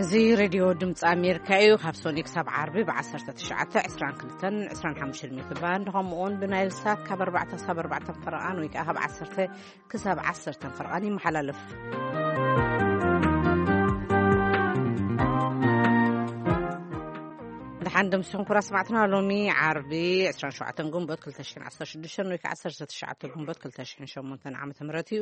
እዚ ሬድዮ ድምፂ ኣሜሪካ እዩ። ካብ ሶኒ ክሳብ ዓርቢ ብ1922 25 ሜትር ባንድ፣ ከምኡውን ብናይል ሳት ካብ ኣርባዕተ ክሳብ ኣርባዕተ ፈረቓን ወይ ከዓ ካብ ዓሰርተ ክሳብ ዓሰርተ ፈረቓን ይመሓላለፍ። ደሓን ደምሲኹም ኩራ ስማዕትና። ሎሚ ዓርቢ 27 ግንቦት 2016 ወይ ከዓ 19 ግንቦት 2008 ዓመተ ምህረት እዩ።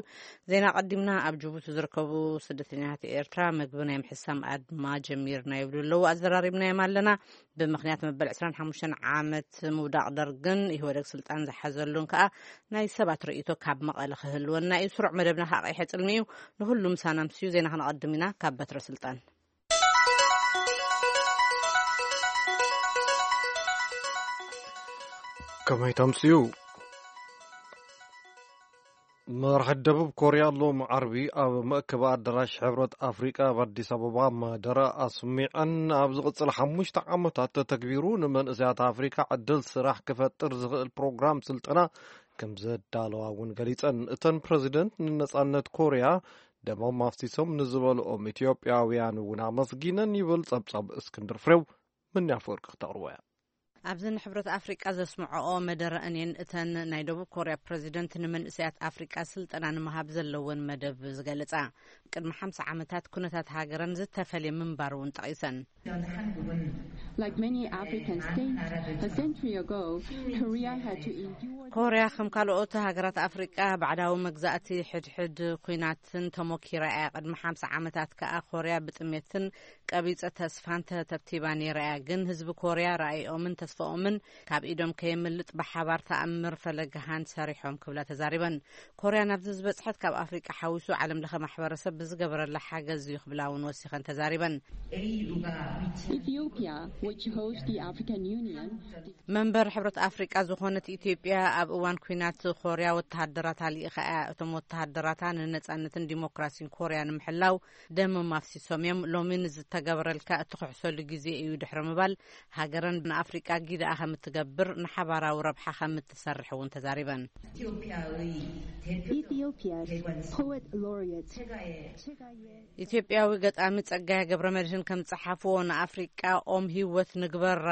ዜና ቀዲምና። ኣብ ጅቡቲ ዝርከቡ ስደተኛታት ኤርትራ ምግቢ ናይ ምሕሳም ኣድማ ጀሚርና ይብሉ ኣለዉ። ኣዘራሪብናዮም ኣለና። ብምኽንያት መበል 25 ዓመት ምውዳቕ ደርግን ኢህወደግ ስልጣን ዝሓዘሉን ከዓ ናይ ሰባት ርእይቶ ካብ መቐለ ክህልወና እዩ። ስሩዕ መደብና ከዓ ቀይሐ ጽልሚ እዩ። ንሁሉ ምሳና ምስዩ ዜና ክነቐድም ኢና። ካብ በትረ ስልጣን። ከመይ ተምስዩ? መራሒ ደቡብ ኮርያ ሎም ዓርቢ ኣብ መእከቢ ኣዳራሽ ሕብረት ኣፍሪቃ ኣብ ኣዲስ ኣበባ መደረ ኣስሚዐን፣ ኣብ ዝቕጽል ሓሙሽተ ዓመታት ተተግቢሩ ንመንእሰያት ኣፍሪቃ ዕድል ስራሕ ክፈጥር ዝኽእል ፕሮግራም ስልጠና ከም ዘዳለዋ እውን ገሊጸን። እተን ፕረዚደንት ንነጻነት ኮርያ ደሞም ኣፍሲሶም ንዝበልኦም ኢትዮጵያውያን እውን ኣመስጊነን ይብል ጸብጻብ እስክንድር ፍሬው። ምን ኣፈወርቂ ክተቕርቦ እያ። ኣብዚ ንሕብረት ኣፍሪቃ ዘስምዐኦ መደረ እኔን እተን ናይ ደቡብ ኮርያ ፕረዚደንት ንመንእሰያት ኣፍሪቃ ስልጠና ንምሃብ ዘለወን መደብ ዝገልጻ። ቅድሚ ሓምሳ ዓመታት ኩነታት ሃገረን ዝተፈልየ ምንባሩ እውን ጠቒሰን። Like many African states, a century ago, Korea had to endure. ኮርያ ከም ካልኦት ሃገራት ኣፍሪቃ ባዕዳዊ መግዛእቲ ሕድሕድ ኩናትን ተሞኪራ እያ። ቅድሚ ሓምሳ ዓመታት ከኣ ኮርያ ብጥሜትን ቀቢጸ ተስፋን ተተብቲባ ነይራ እያ። ግን ህዝቢ ኮርያ ራእይኦምን ተስፋኦምን ካብ ኢዶም ከየምልጥ ብሓባር ተኣምር ፈለግሃን ሰሪሖም ክብላ ተዛሪበን። ኮርያ ናብዚ ዝበጽሐት ካብ ኣፍሪቃ ሓዊሱ ዓለም ለኸ ማሕበረሰብ ብዝገበረላ ሓገዝ እዩ ክብላ እውን ወሲኸን ተዛሪበን። Ethiopia, which hosts the African Union, መንበር ሕብረት ኣፍሪቃ ዝኾነት ኢትዮጵያ ኣብ እዋን ኩናት ኮርያ ወተሃደራት ኣልኢኻ እያ። እቶም ወተሃደራታ ንነጻነትን ዲሞክራሲን ኮርያ ንምሕላው ደሞም ኣፍሲሶም እዮም። ሎሚ ንዝተገበረልካ እትኽሕሰሉ ግዜ እዩ ድሕሪ ምባል፣ ሃገረን ንኣፍሪቃ ጊዳኣ ከም እትገብር፣ ንሓባራዊ ረብሓ ከም እትሰርሕ እውን ተዛሪበን። Ethiopia's poet laureate, ኢትዮጵያዊ ገጣሚ ጸጋዬ ገብረ መድህን ከም ዝጸሓፍዎ፣ ንኣፍሪቃ ኦም ህይወት ንግበራ፣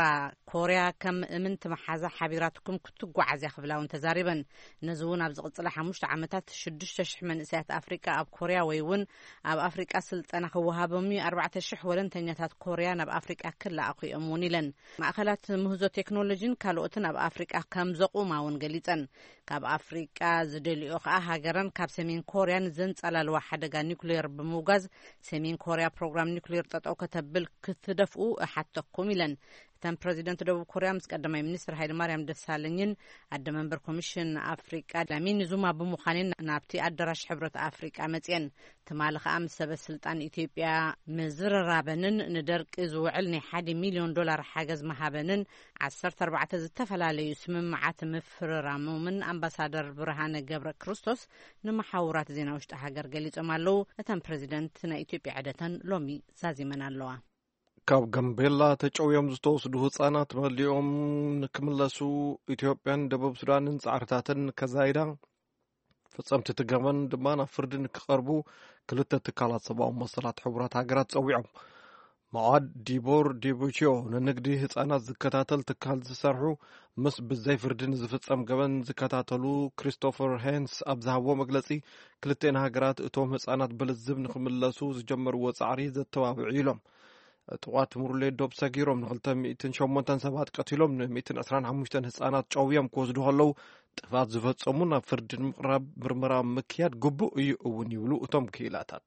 ኮርያ ከም እምንቲ መሓዛ ሓቢራትኩም ክትጓዓዝ እያ ክብላ እውን ተዛሪበን። ነዚ እውን ኣብ ዝቕጽላ ሓሙሽተ ዓመታት ሽዱሽተ ሽሕ መንእሰያት ኣፍሪቃ ኣብ ኮርያ ወይ እውን ኣብ ኣፍሪቃ ስልጠና ክወሃቦም እዩ። ኣርባዕተ ሽሕ ወለንተኛታት ኮርያ ናብ ኣፍሪቃ ክለኣኹ እዮም እውን ኢለን። ማእኸላት ምህዞ ቴክኖሎጂን ካልኦትን ኣብ ኣፍሪቃ ከም ዘቑማ እውን ገሊጸን። ካብ ኣፍሪቃ ዝደልዮ ከኣ ሃገረን ካብ ሰሜን ኮርያ ንዘንጸላልዋ ሓደጋ ኒኩሌር ብምውጋዝ ሰሜን ኮርያ ፕሮግራም ኒኩሌር ጠጠው ከተብል ክትደፍኡ እሓተኩም ኢለን። እተን ፕረዚደንት ደቡብ ኮርያ ምስ ቀዳማይ ሚኒስትር ሃይለ ማርያም ደሳለኝን ኣደ መንበር ኮሚሽን ኣፍሪቃ ላሚኒ ዙማ ብምዃንን ናብቲ ኣዳራሽ ሕብረት ኣፍሪቃ መጽየን። ትማሊ ከኣ ምስ ሰበ ስልጣን ኢትዮጵያ ምዝርራበንን ንደርቂ ዝውዕል ናይ ሓደ ሚልዮን ዶላር ሓገዝ ምሃበንን ዓሰርተ ኣርባዕተ ዝተፈላለዩ ስምምዓት ምፍርራሞምን ኣምባሳደር ብርሃነ ገብረ ክርስቶስ ንመሓውራት ዜና ውሽጢ ሃገር ገሊጾም ኣለዉ። እተን ፕረዚደንት ናይ ኢትዮጵያ ዕደተን ሎሚ ዛዚመን ኣለዋ። ካብ ጋምቤላ ተጨውዮም ዝተወስዱ ህጻናት መሊኦም ንክምለሱ ኢትዮጵያን ደቡብ ሱዳንን ጻዕርታተን ከዛይዳ፣ ፈጸምቲ እቲ ገበን ድማ ናብ ፍርዲ ንክቐርቡ ክልተ ትካላት ሰብኣዊ መሰላት ሕቡራት ሃገራት ጸዊዖም። መዓድ ዲቦር ዲቡቺዮ ንንግዲ ህጻናት ዝከታተል ትካል ዝሰርሑ፣ ምስ ብዘይ ፍርዲ ንዝፍጸም ገበን ዝከታተሉ ክሪስቶፈር ሄንስ ኣብ ዝሃብዎ መግለጺ፣ ክልተን ሃገራት እቶም ህጻናት ብልዝብ ንክምለሱ ዝጀመርዎ ጻዕሪ ዘተባብዑ ኢሎም። ዕጡቓት ሙርሌ ዶብ ሰጊሮም ንክልተ ሚእትን ሸሞንተን ሰባት ቀቲሎም፣ ን ሚእትን ዕስራን ሓሙሽተን ህጻናት ጨውዮም ክወስዱ ከለዉ፣ ጥፋት ዝፈጸሙ ናብ ፍርዲ ንምቕራብ ምርመራ ምክያድ ግቡእ እዩ እውን ይብሉ እቶም ክኢላታት።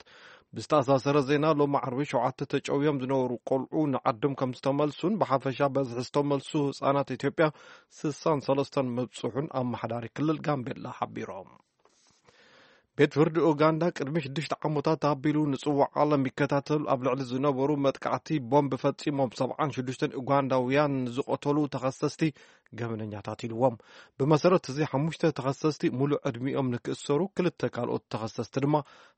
ብዝተኣሳሰረ ዜና፣ ሎሚ ዓርቢ ሸውዓተ ተጨውዮም ዝነበሩ ቆልዑ ንዓዶም ከም ዝተመልሱን ብሓፈሻ በዝሒ ዝተመልሱ ህጻናት ኢትዮጵያ ስሳን ሰለስተን ምብጽሑን ኣመሓዳሪ ክልል ጋምቤላ ሓቢሮም። ቤት ፍርዲ ኡጋንዳ ቅድሚ ሽዱሽተ ዓመታት ኣቢሉ ንጽዋዕ ዓለም ይከታተሉ ኣብ ልዕሊ ዝነበሩ መጥቃዕቲ ቦምብ ፈጺሞም ሰብዓን ሽዱሽተን ኡጋንዳውያን ዝቐተሉ ተኸሰስቲ ገበነኛታት ኢልዎም። ብመሰረት እዚ ሓሙሽተ ተኸሰስቲ ሙሉእ ዕድሚኦም ንክእሰሩ፣ ክልተ ካልኦት ተኸሰስቲ ድማ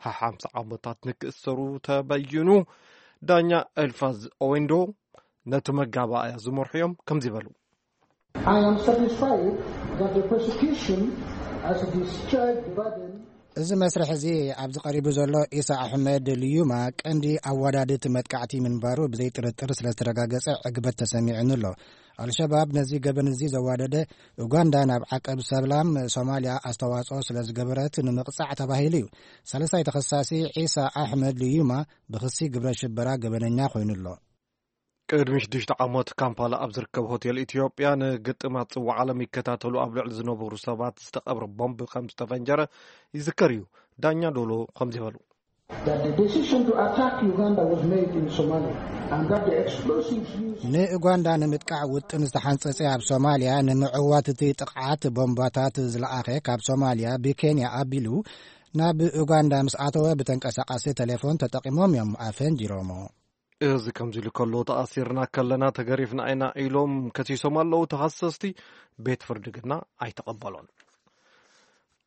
ሓሓምሳ ዓመታት ንክእሰሩ ተበይኑ። ዳኛ ኤልፋዝ ኦዌንዶ ነቲ መጋባእያ ዝመርሑ እዮም ከምዚ በሉ። I am satisfied that the prosecution has discharged the burden. እዚ መስርሕ እዚ ኣብዚ ቀሪቡ ዘሎ ኢሳ ኣሕመድ ልዩማ ቀንዲ ኣወዳድቲ መጥቃዕቲ ምንባሩ ብዘይጥርጥር ስለ ዝተረጋገጸ ዕግበት ተሰሚዑኒ ኣሎ። ኣልሸባብ ነዚ ገበን እዚ ዘዋደደ፣ ኡጋንዳ ናብ ዓቀብ ሰላም ሶማልያ ኣስተዋጽኦ ስለ ዝገበረት ንምቕጻዕ ተባሂሉ እዩ። ሳልሳይ ተኸሳሲ ዒሳ ኣሕመድ ልዩማ ብኽሲ ግብረ ሽበራ ገበነኛ ኮይኑ ኣሎ። ቅድሚ ሽዱሽተ ዓመት ካምፓላ ኣብ ዝርከብ ሆቴል ኢትዮጵያ ንግጥማት ጽዋዕ ዓለም ይከታተሉ ኣብ ልዕሊ ዝነበሩ ሰባት ዝተቐብረ ቦምብ ከም ዝተፈንጀረ ይዝከር እዩ። ዳኛ ዶሎ ከምዚ በሉ። That the decision to attack Uganda was made in Somalia and that the explosives used ንኡጋንዳ ንምጥቃዕ ውጥን ዝተሓንጸጸ ኣብ ሶማልያ ንምዕዋት እቲ ጥቕዓት ቦምባታት ዝለኣኸ ካብ ሶማልያ ብኬንያ ኣቢሉ ናብ ኡጋንዳ ምስ ኣተወ ብተንቀሳቃሲ ቴሌፎን ተጠቂሞም እዮም ኣፈንጂሮሞ። እዚ ከምዚ ኢሉ ከሎ፣ ተኣሲርና ከለና ተገሪፍና ኢና ኢሎም ከሲሶም ኣለዉ ተኸሰስቲ። ቤት ፍርዲ ግና ኣይተቐበሎን።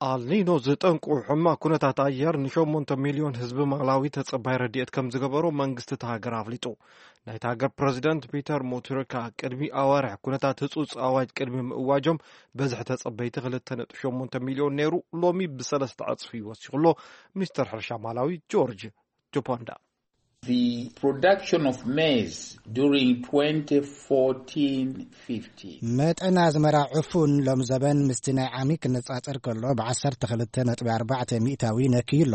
ኣልኒኖ ዝጠንቁ ሕማቕ ኩነታት ኣየር ንሸሞንተ ሚልዮን ህዝቢ ማላዊ ተጸባይ ረድኤት ከም ዝገበሮ መንግስቲ እቲ ሃገር ኣፍሊጡ። ናይቲ ሃገር ፕረዚደንት ፒተር ሙትርካ ቅድሚ ኣዋርሕ ኩነታት ህጹጽ ኣዋጅ ቅድሚ ምእዋጆም በዝሒ ተጸበይቲ ክልተ ነጥቢ ሸሞንተ ሚልዮን ነይሩ፣ ሎሚ ብሰለስተ ዕጽፊ ወሲኹ ኣሎ። ሚኒስተር ሕርሻ ማላዊ ጆርጅ ጁፖንዳ። The production of maize during twenty fourteen fifteen. መጠን ኣዝመራ ዕፉን ሎም ዘበን ምስቲ ናይ ዓሚ ክነጻጸር ከሎ ብ ዓሰርተ ክልተ ነጥቢ ኣርባዕተ ሚእታዊ ነክዩ ኣሎ።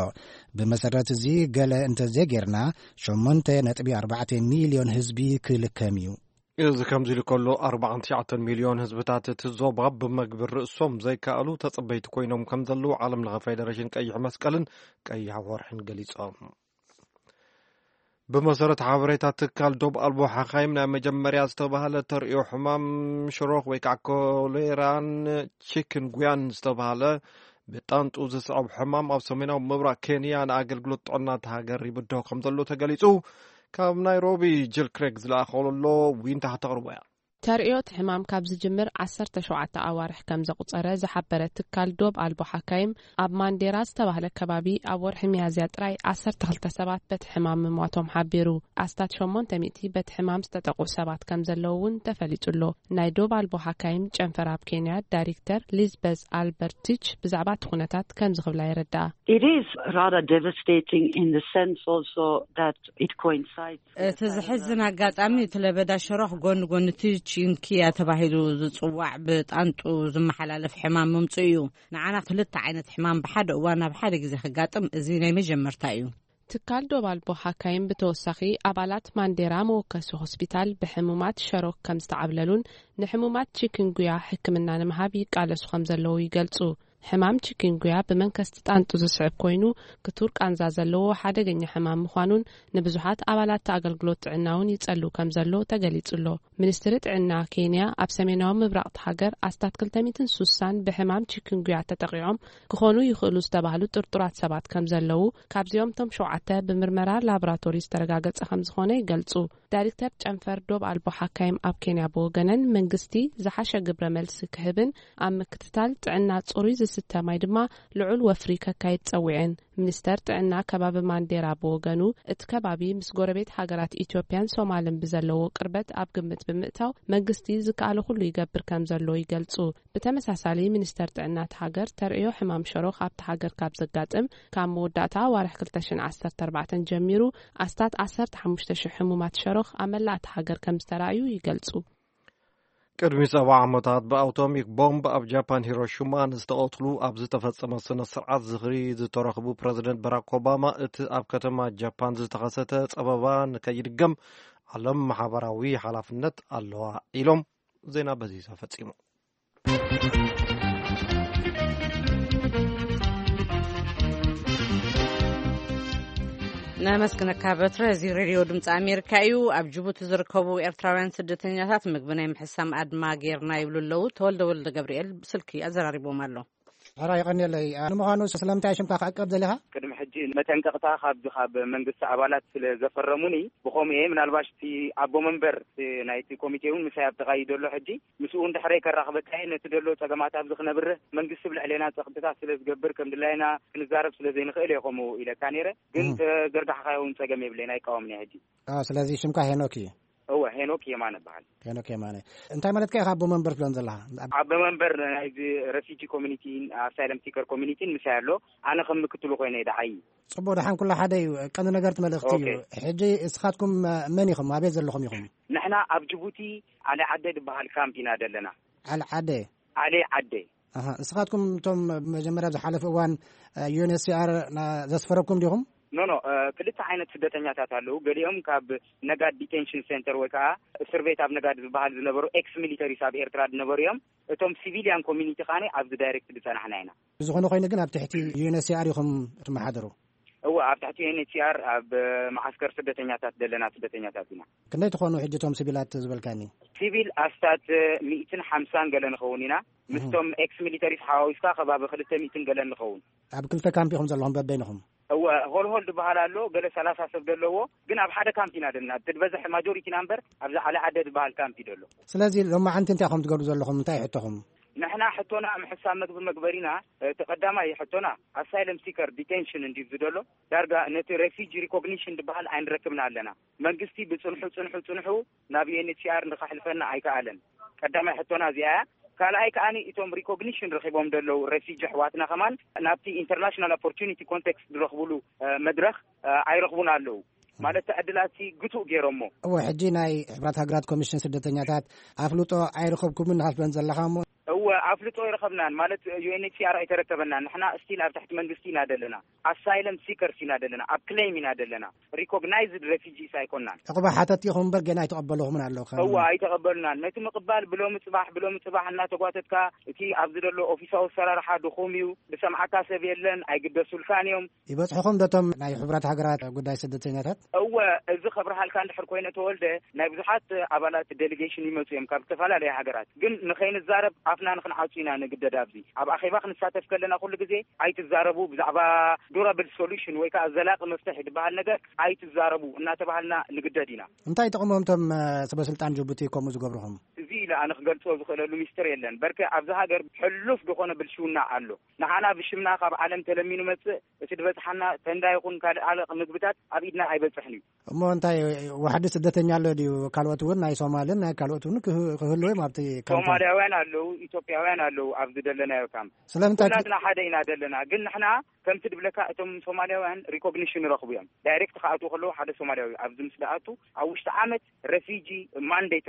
ብመሰረት እዚ ገለ እንተዘይጌርና ሸሞንተ ነጥቢ ኣርባዕተ ሚልዮን ህዝቢ ክልከም እዩ። እዚ ከምዚ ኢሉ ከሎ፣ ኣርባዓን ትሽዓተን ሚልዮን ህዝብታት እቲ ዞባ ብመግቢ ርእሶም ዘይከኣሉ ተጸበይቲ ኮይኖም ከም ዘለዉ ዓለም ለኸ ፌደሬሽን ቀይሕ መስቀልን ቀይሕ ወርሕን ገሊጾም። ብመሰረት ሓበሬታ ትካል ዶብ ኣልቦ ሓኻይም፣ ናይ መጀመርያ ዝተባህለ ተርእዮ ሕማም ሽሮኽ ወይ ከዓ ኮሌራን ቺክን ጉያን ዝተባህለ ብጣንጡ ዝስዕብ ሕማም ኣብ ሰሜናዊ ምብራቕ ኬንያ ንኣገልግሎት ጥዕና እታ ሃገር ይብድሆ ከም ዘሎ ተገሊጹ። ካብ ናይሮቢ ጅል ክሬግ ዝለኣኸሎ ዊንታ ተቕርቦ እያ። ተርእዮ እቲ ሕማም ካብ ዝጅምር ዓሰርተ ሸውዓተ ኣዋርሕ ከም ዘቑጸረ ዝሓበረ ትካል ዶብ ኣልቦ ሓካይም፣ ኣብ ማንዴራ ዝተባህለ ከባቢ ኣብ ወርሒ ሚያዝያ ጥራይ ዓሰርተ ክልተ ሰባት በቲ ሕማም ምሟቶም ሓቢሩ። ኣስታት ሸሞንተ ሚእቲ በቲ ሕማም ዝተጠቕዑ ሰባት ከም ዘለዉ እውን ተፈሊጡ ኣሎ። ናይ ዶብ ኣልቦ ሓካይም ጨንፈር ኣብ ኬንያ ዳይሬክተር ሊዝበዝ ኣልበርቲች ብዛዕባ እቲ ኩነታት ከምዚ ክብላ የረድኣ። It is rather devastating in the sense also that it coincides እቲ ዝሕዝን ኣጋጣሚ፣ እቲ ለበዳ ሸሮኽ ጎኒ ጎኒ እቲ ቺንኪያ ተባሂሉ ዝጽዋዕ ብጣንጡ ዝመሓላለፍ ሕማም ምምጽኡ እዩ። ንዓና ክልተ ዓይነት ሕማም ብሓደ እዋን ኣብ ሓደ ግዜ ክጋጥም እዚ ናይ መጀመርታ እዩ። ትካል ዶብ ኣልቦ ሓካይም ብተወሳኺ፣ ኣባላት ማንዴራ መወከሲ ሆስፒታል ብሕሙማት ሸሮክ ከም ዝተዓብለሉን ንሕሙማት ቺክንጉያ ሕክምና ንምሃብ ይቃለሱ ከም ዘለዉ ይገልጹ። ሕማም ቺክንጉያ ብመንከስቲ ጣንጡ ዝስዕብ ኮይኑ፣ ክቱር ቃንዛ ዘለዎ ሓደገኛ ሕማም ምዃኑን ንብዙሓት ኣባላት ኣገልግሎት ጥዕና እውን ይጸሉ ከም ዘሎ ተገሊጹ ኣሎ። ሚኒስትሪ ጥዕና ኬንያ፣ ኣብ ሰሜናዊ ምብራቕ እታ ሃገር ኣስታት ክልተ ሚእትን ሱሳን ብሕማም ቺክንጉያ ተጠቒዖም ክኾኑ ይኽእሉ ዝተባህሉ ጥርጡራት ሰባት ከም ዘለዉ፣ ካብዚኦም እቶም ሸውዓተ ብምርመራ ላቦራቶሪ ዝተረጋገጸ ከም ዝኾነ ይገልጹ። ዳይሬክተር ጨንፈር ዶብ ኣልቦ ሓካይም ኣብ ኬንያ ብወገነን፣ መንግስቲ ዝሓሸ ግብረ መልሲ ክህብን ኣብ ምክትታል ጥዕና ጽሩይ ዝስተ ማይ ድማ ልዑል ወፍሪ ከካይድ ጸዊዐን። ሚኒስተር ጥዕና ከባቢ ማንዴራ ብወገኑ፣ እቲ ከባቢ ምስ ጎረቤት ሃገራት ኢትዮጵያን ሶማልን ብዘለዎ ቅርበት ኣብ ግምት ብምእታው፣ መንግስቲ ዝከኣሎ ኩሉ ይገብር ከም ዘሎ ይገልጹ። ብተመሳሳሊ፣ ሚኒስተር ጥዕና እታ ሃገር፣ ተርእዮ ሕማም ሸሮኽ ኣብታ ሃገር ካብ ዘጋጥም፣ ካብ መወዳእታ ኣዋርሕ ክልተ ሽሕን ዓሰርተ ኣርባዕተን ጀሚሩ፣ ኣስታት ዓሰርተ ሓሙሽተ ሽሕ ሕሙማት ሸሮኽ ኣብ መላእ እታ ሃገር ከም ዝተራእዩ ይገልጹ። ቅድሚ ሰብዓ ዓመታት ብኣውቶሚክ ቦምብ ኣብ ጃፓን ሂሮሺማ ንዝተቐትሉ ኣብ ዝተፈጸመ ስነ ስርዓት ዝኽሪ ዝተረኽቡ ፕረዚደንት ባራክ ኦባማ፣ እቲ ኣብ ከተማ ጃፓን ዝተኸሰተ ጸበባ ንከይድገም ዓለም ማሕበራዊ ሓላፍነት ኣለዋ ኢሎም። ዜና በዚ ተፈጺሙ። ነመስግነካ በትረ። እዚ ሬድዮ ድምፂ ኣሜሪካ እዩ። ኣብ ጅቡቲ ዝርከቡ ኤርትራውያን ስደተኛታት ምግቢ ናይ ምሕሳም ኣድማ ጌርና ይብሉ ኣለዉ። ተወልደ ወልደ ገብርኤል ብስልኪ ኣዘራሪቦም ኣሎ። ሕራ ይቐንየለይ። ንምዃኑ ስለምንታይ ሽምካ ክዕቀብ ደሊኻ? ቅድሚ ሕጂ መጠንቀቕታ ካብዚ ካብ መንግስቲ ኣባላት ስለ ዘፈረሙኒ ብኸምኡ እየ። ምናልባሽ እቲ ኣቦ መንበር እቲ ናይቲ ኮሚቴ እውን ምሳይ ኣብ ጥቓይ እዩ ዘሎ ሕጂ። ምስኡ እውን ድሕረይ ከራኽበካ እየ። ነቲ ዘሎ ጸገማት ኣብዚ ክነብርህ መንግስቲ ብልዕሌና ጸቕጥታት ስለ ዝገብር ከም ድላይና ክንዛረብ ስለ ዘይንኽእል እየ ከምኡ ኢለካ ነይረ። ግን እም። ተዘርጋሕካዮ እውን ጸገም የብለይን፣ ኣይቃወምን እየ ሕጂ። ኣዎ፣ ስለዚ ሽምካ ሄኖክ እዩ። እወ፣ ሄኖክ የማነ እበሃል። ሄኖክ የማነ፣ እንታይ ማለትካ ኢኻ ኣቦ መንበር ትብለን ዘለኻ? ኣቦ መንበር ናይዚ ረፊጂ ኮሚኒቲን ኣሳይለም ሲከር ኮሚኒቲን ምሳይ ኣሎ። ኣነ ከም ምክትሉ ኮይነ ደዓይ። ጽቡቕ፣ ደሓን ኩሉ ሓደ እዩ። ቀንዲ ነገር እቲ መልእኽቲ እዩ። ሕጂ እስኻትኩም መን ኢኹም? ኣበይ ዘለኹም ኢኹም? ንሕና ኣብ ጅቡቲ ዓሊ ዓደ ዝበሃል ካምፕ ኢና ዘለና። ዓሊ ዓደ። ዓሊ ዓደ። ኣሃ፣ እስኻትኩም እቶም መጀመርያ ኣብ ዝሓለፈ እዋን ዩ ኤን ኤች ሲ ኣር ዘስፈረኩም ዲኹም? ኖ ኖ፣ ክልተ ዓይነት ስደተኛታት ኣለዉ። ገሊኦም ካብ ነጋድ ዲቴንሽን ሴንተር ወይ ከዓ እስር ቤት ኣብ ነጋድ ዝበሃል ዝነበሩ ኤክስ ሚሊተሪስ ኣብ ኤርትራ ዝነበሩ እዮም። እቶም ሲቪሊያን ኮሚኒቲ ካነ ኣብዚ ዳይሬክት ዝጸናሕና ኢና። ብዝኾነ ኮይኑ ግን ኣብ ትሕቲ ዩ ኤን ኤች ሲ ኣር ኢኹም ትመሓደሩ? እወ፣ ኣብ ትሕቲ ዩ ኤን ኤች ሲ ኣር ኣብ መዓስከር ስደተኛታት ዘለና ስደተኛታት ኢና። ክንደይ ትኾኑ ሕጂ እቶም ሲቪላት ዝበልካኒ? ሲቪል ኣስታት ሚእትን ሓምሳን ገለ ንኸውን ኢና። ምስቶም ኤክስ ሚሊተሪስ ሓዋዊስካ ከባቢ ክልተ ሚእትን ገለ ንኸውን። ኣብ ክልተ ካምፕ ኢኹም ዘለኹም በበይንኹም? እወ፣ ሆልሆል ዝበሃል ኣሎ፣ ገለ ሰላሳ ሰብ ዘለዎ፣ ግን ኣብ ሓደ ካምፕ ኢና ዘለና። እቲ ዝበዝሕ ማጆሪቲና እምበር ኣብዚ ዓሊ ዓደ ዝበሃል ካምፕ እዩ ዘሎ። ስለዚ ሎማዓንቲ እንታይ ኢኹም ትገብሩ ዘለኹም? እንታይ ሕቶኹም? ንሕና ሕቶና ምሕሳብ መግቢ መግበሪና፣ እቲ ቀዳማይ ሕቶና ኣሳይለም ሲከር ዲቴንሽን እንዲዩ ዝደሎ፣ ዳርጋ ነቲ ሬፊጂ ሪኮግኒሽን ዝበሃል ኣይንረክብና ኣለና። መንግስቲ ብጽንሑ ጽንሑ ጽንሑ ናብ ዩ ኤን ኤች ሲ ኣር ንኸሕልፈና ኣይከኣለን። ቀዳማይ ሕቶና እዚኣ እያ። ካልኣይ ከኣኒ እቶም ሪኮግኒሽን ረኺቦም ዘለዉ ሬፊጂ ኣሕዋትና ከማን ናብቲ ኢንተርናሽናል ኦፖርቹኒቲ ኮንቴክስት ዝረኽብሉ መድረኽ ኣይረኽቡን ኣለዉ። ማለት ዕድላትሲ ግቱእ ገይሮሞ። እወ፣ ሕጂ ናይ ሕብራት ሃገራት ኮሚሽን ስደተኛታት ኣፍልጦ ኣይረኸብኩምን ኢኻ ትብለን ዘለኻ እሞ። እወ፣ ኣፍልጦ ኣይረኸብናን፣ ማለት ዩ ኤን ኤች ሲ ኣር ኣይተረከበናን። ንሕና ስቲል ኣብ ትሕቲ መንግስቲ ኢና ዘለና። ኣሳይለም ሲከርስ ኢና ዘለና፣ ኣብ ክሌም ኢና ዘለና። ሪኮግናይዝድ ሬፊጂስ ኣይኮናን። ዕቑባ ሓተቲ ኢኹም እምበር ገና ኣይተቐበልኹምን ኣለዉ። እወ፣ ኣይተቐበሉናን። ነቲ ምቕባል ብሎሚ ጽባሕ ብሎሚ ጽባሕ እናተጓተትካ፣ እቲ ኣብዚ ዘሎ ኦፊሳዊ ኣሰራርሓ ድኹም እዩ። ዝሰምዓካ ሰብ የለን። ኣይግደሱልካን እዮም። ይበጽሕኹም ዶ እቶም ናይ ሕቡራት ሃገራት ጉዳይ ስደተኛታት? እወ፣ እዚ ከብርሃልካ እንድሕር ኮይነ ተወልደ፣ ናይ ብዙሓት ኣባላት ዴሊጌሽን ይመጹ እዮም ካብ ዝተፈላለያ ሃገራት። ግን ንኸይንዛረብ ኣፍና ንኽንዓጹ ኢና ንግደድ። ኣብዚ ኣብ ኣኼባ ክንሳተፍ ከለና ኩሉ ግዜ ኣይትዛረቡ፣ ብዛዕባ ዱራብል ሶሉሽን ወይ ከዓ ዘላቂ መፍትሒ ዝበሃል ነገር ኣይትዛረቡ እናተባሃልና ንግደድ ኢና። እንታይ ጥቕሞም እቶም ሰበ ስልጣን ጅቡቲ ከምኡ ዝገብርኹም? እዚ ኢለ ኣነ ክገልጾ ዝኽእለሉ ሚስጥር የለን። በርከ ኣብዚ ሃገር ሕሉፍ ዝኾነ ብልሽውና ኣሎ። ንዓና ብሽምና ካብ ዓለም ተለሚኑ መጽእ፣ እቲ ዝበጽሓና ተንዳ ይኹን ካልእ ኣለቕ ምግብታት ኣብ ኢድና ኣይበጽሕን እዩ። እሞ እንታይ ዋሕዲ ስደተኛ ኣሎ ድዩ? ካልኦት እውን ናይ ሶማልን ናይ ካልኦት እውን ክህ- ክህልዉ እዮም ኣብቲ ካምፕ። ሶማልያውያን ኣለዉ፣ ኢትዮጵያውያን ኣለዉ ኣብዚ ደለናዮ ካምፕ። ስለምንታይ እቲ- ኩላትና ሓደ ኢና ደለና፣ ግን ንሕና ከምቲ ድብለካ እቶም ሶማልያውያን ሪኮግኒሽን ይረኽቡ እዮም። ዳይሬክት ክኣትዉ ከለዉ ሓደ ሶማልያዊ ኣብዚ ምስ ደኣቱ ኣብ ውሽጢ ዓመት ረፊጂ ማንዴት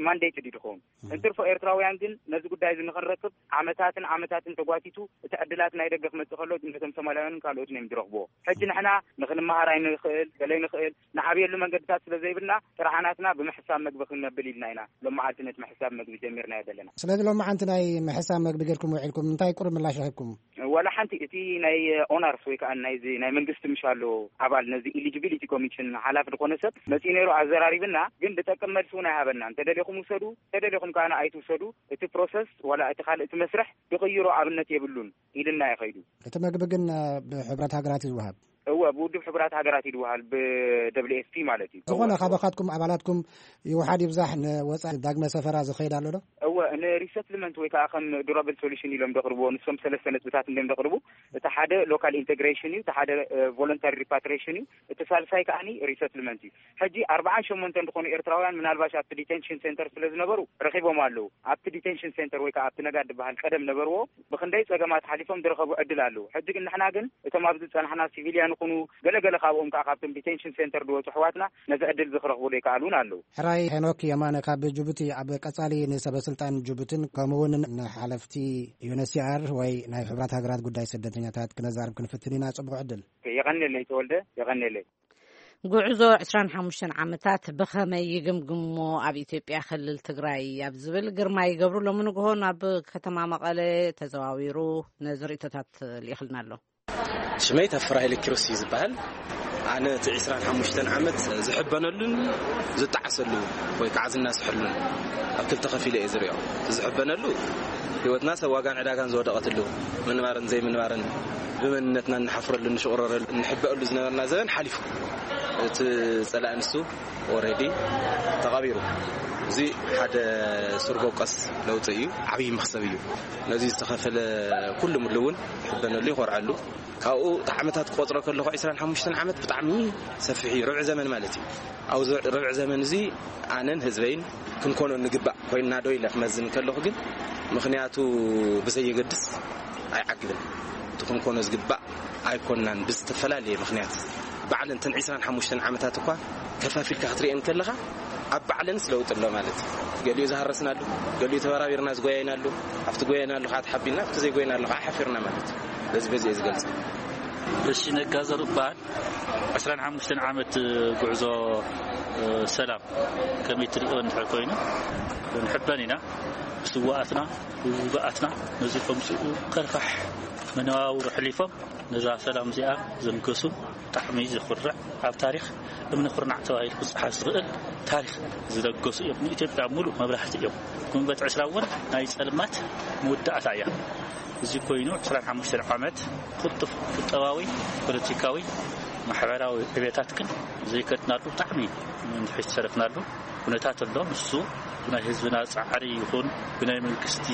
ማንዴት ድዩ ድኸውን? እንትርፎ ኤርትራውያን ግን ነዚ ጉዳይ እዚ ንኽንረክብ ዓመታትን ዓመታትን ተጓቲቱ፣ እቲ ዕድላት ናይ ደገ ክመጽእ ከሎ ነቶም ሶማልያውያንን ካልኦትን እዮም ዝረኽብዎ። ሕጂ ንሕና ንኽንመሃር ኣይንኽእል፣ ገለ ኣይንኽእል፣ ንዓብየሉ መንገድታት ስለ ዘይብልና ጥራሓ ናትና ብምሕሳብ መግቢ ክንነብል ኢልና ኢና ሎም መዓልቲ ነቲ ምሕሳብ መግቢ ጀሚርናዮ ዘለና። ስለዚ ሎም መዓንቲ ናይ ምሕሳብ መግቢ ጌርኩም ውዒልኩም እንታይ ቁሩብ ምላሽ ረኺብኩም? ዋላ ሓንቲ። እቲ ናይ ኦነርስ ወይ ከዓ ናይዚ ናይ መንግስቲ ምሽ ኣሎ ኣባል ነዚ ኢሊጂቢሊቲ ኮሚሽን ሓላፊ ዝኾነ ሰብ መፂኡ ነይሩ ኣዘራሪብና፣ ግን ዝጠቅም መልሲ እውን ኣይሃበና። እንተደሊኹም ውሰዱ፣ እንተደሊኹም ከዓ ኣይትውሰዱ፣ እቲ ፕሮሰስ ዋላ እቲ ካልእ እቲ መስርሕ ዝቕይሮ ኣብነት የብሉን ኢልና እዩ ኸይዱ። እቲ መግቢ ግን ብሕብረት ሃገራት እዩ ዝወሃብ? እወ፣ ብውድብ ሕቡራት ሃገራት እዩ ዝወሃል፣ ብደብሊው ኤፍ ፒ ማለት እዩ። ዝኾነ ካባኻትኩም ኣባላትኩም ይውሓድ ይብዛሕ ንወፃኢ ዳግመ ሰፈራ ዝኸይድ ኣሎ ዶ? እወ፣ ንሪሰትልመንት ወይ ከዓ ከም ዱራብል ሶሉሽን ኢሎም ዘቕርብዎ፣ ንሶም ሰለስተ ነጥብታት እንዲም ዘቕርቡ። እቲ ሓደ ሎካል ኢንቴግሬሽን እዩ፣ እቲ ሓደ ቮለንታሪ ሪፓትሪሽን እዩ፣ እቲ ሳልሳይ ከዓኒ ሪሰትልመንት እዩ። ሕጂ ኣርባዓን ሸሞንተን ዝኾኑ ኤርትራውያን ምናልባሽ ኣብቲ ዲቴንሽን ሴንተር ስለ ዝነበሩ ረኺቦም ኣለዉ። ኣብቲ ዲቴንሽን ሴንተር ወይ ከዓ ኣብቲ ነጋድ ዝበሃል ቀደም ነበርዎ፣ ብኽንደይ ጸገማት ሓሊፎም ዝረኸቡ ዕድል ኣለዉ። ሕጂ ግን ንሕና ግን እቶም ኣብዚ ዝጸናሕና ሲቪልያን ይኹኑ ገለገለ ካብኦም ከዓ ካብቶም ዲቴንሽን ሴንተር ዝወፁ ኣሕዋትና ነዚ ዕድል እዚ ክረኽቡ ዘይከኣሉ እውን ኣለዉ። ሕራይ ሄኖክ የማነ ካብ ጅቡቲ፣ ኣብ ቀጻሊ ንሰበ ስልጣን ጅቡትን ከምኡ እውን ንሓለፍቲ ዩ ኤን ኤች ሲ ኣር ወይ ናይ ሕቡራት ሃገራት ጉዳይ ስደተኛታት ክነዛርብ ክንፍትን ኢና። ጽቡቕ ዕድል። የቐንየለይ ተወልደ፣ የቐንየለይ። ጉዕዞ ዕስራን ሓሙሽተን ዓመታት ብኸመይ ይግምግሞ ኣብ ኢትዮጵያ ክልል ትግራይ ኣብ ዝብል ግርማይ ገብሩ ሎሚ ንግሆ ናብ ከተማ መቐለ ተዘዋዊሩ ነዚ ርእይቶታት ልኢኽልና ኣሎ። ሽመይ ታፈራ ሃይለ ኪሮስ እዩ ዝበሃል። ኣነ እቲ ዕስራን ሓሙሽተን ዓመት ዝሕበነሉን ዝጠዓሰሉ ወይ ከዓ ዝናስሐሉን ኣብ ክልተ ከፊለ እየ ዝሪኦ። እቲ ዝሕበነሉ ህይወትና ሰብ ዋጋን ዕዳጋን ዝወደቐትሉ፣ ምንባርን ዘይምንባርን፣ ብመንነትና እንሓፍረሉ፣ እንሽቑረረሉ፣ እንሕበአሉ ዝነበርና ዘበን ሓሊፉ። እቲ ጸላኢ ንሱ ኦልሬዲ ተቐቢሩ። እዚ ሓደ ሱር በቆስ ለውጢ እዩ። ዓብዪ መኽሰብ እዩ። ነዚ ዝተኸፈለ ኩሉ ምሉ እውን ይሕበነሉ፣ ይኾርዐሉ። ካብኡ እቲ ዓመታት ክቆፅሮ ከለኹ፣ ዕስራን ሓሙሽተን ዓመት ብጣዕሚ ሰፊሕ እዩ። ርብዒ ዘመን ማለት እዩ። ኣብዚ ርብዒ ዘመን እዚ ኣነን ህዝበይን ክንኮኖ ንግባእ ኮይንና ዶ ኢለ ክመዝን ከለኹ ግን፣ ምኽንያቱ ብዘየገድስ ኣይዓግብን። እቲ ክንኮኖ ዝግባእ ኣይኮንናን። ብዝተፈላለየ ምኽንያት ባዕለን እተን ዕስራን ሓሙሽተን ዓመታት እኳ ከፋፊልካ ክትሪአን ከለኻ፣ ኣብ ባዕለንስ ለውጢ ኣሎ ማለት እዩ። ገሊኡ ዝሃረስናሉ፣ ገሊኡ ተበራቢርና ዝጎያይናሉ፣ ኣብቲ ጎያይናሉ ከዓ ተሓቢልና፣ ኣብቲ ዘይጎይናሉ ከዓ ሓፊርና ማለት እዩ። በዚ በዚ እየ ዝገልጽ። እሺ፣ ነጋ ዘሩ እበሃል። ዕስራን ሓሙሽተን ዓመት ጉዕዞ፣ እ፣ ሰላም ከመይ ትሪኦ እንድሕር ኮይኑ፣ ንሕበን ኢና። ብስዋኣትና፣ ብውጉኣትና ነዚ ከምፅኡ ከርፋሕ መነባብሮ ሕሊፎም ነዛ ሰላም እዚኣ ዘንገሱ ብጣዕሚ ዘኹርዕ፣ ኣብ ታሪኽ እምኒ ኩርናዕ ተባሂሉ ክፀሓፍ ዝኽእል ታሪኽ ዝለገሱ እዮም። ንኢትዮጵያ ሙሉእ መብራህቲ እዮም። ጉንበት ዕስራ እውን ናይ ጸልማት መወዳእታ እያ። እዚ ኮይኑ ዕስራን ሓሙሽተን ዓመት ቅልጡፍ ቁጠባዊ፣ ፖለቲካዊ፣ ማሕበራዊ ዕቤታት ግን ዘይከድናሉ ብጣዕሚ ንድሕሪት ዝተረፍናሉ ኩነታት ኣሎ። ንሱ ብናይ ህዝብና ጻዕሪ ይኹን ብናይ መንግስቲ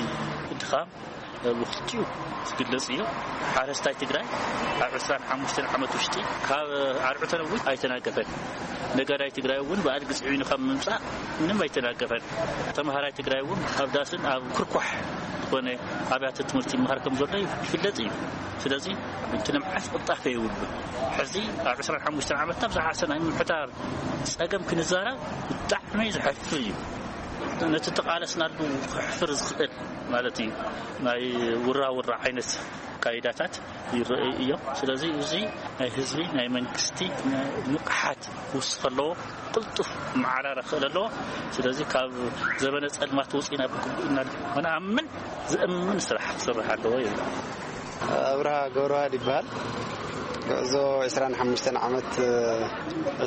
ድኻም ብኽልቲኡ ዝግለጽ እዩ። ሓረስታይ ትግራይ ኣብ ዕስራን ሓሙሽተን ዓመት ውሽጢ ካብ ኣርዑ ተነዊት ኣይተናገፈን። ነጋዳይ ትግራይ እውን ብኣድጊ ጽዒኑ ካብ ምምጻእ ምንም ኣይተናገፈን። ተምሃራይ ትግራይ እውን ኣብ ዳስን ኣብ ክርኳሕ ዝኾነ ኣብያተ ትምህርቲ ይመሃር ከም ዘሎ ይፍለጥ እዩ። ስለዚ እቲ ልምዓት ቅልጣፈ የብሉን። ሕዚ ኣብ ዕስራን ሓሙሽተን ዓመትና ብዝሓሰ ናይ ምምሕዳር ጸገም ክንዛረብ ብጣዕሚ ዘሕፍር እዩ። ነቲ ተቓለስናሉ ከሕፍር ዝኽእል ማለት እዩ። ናይ ውራ ውራ ዓይነት ኣካይዳታት ይረኣዩ እዮም። ስለዚ እዚ ናይ ህዝቢ ናይ መንግስቲ ንቕሓት ክውስኽ ኣለዎ። ቅልጡፍ መዓራረ ክኽእል ኣለዎ። ስለዚ ካብ ዘበነ ጸልማት ወፂና ብግቡእ ኢና ንኣምን፣ ዘእምን ስራሕ ክስራሕ ኣለዎ ይብል። ኣብርሃ ገብረዋህድ ይበሃል። ጉዕዞ ዕስራን ሓሙሽተን ዓመት፣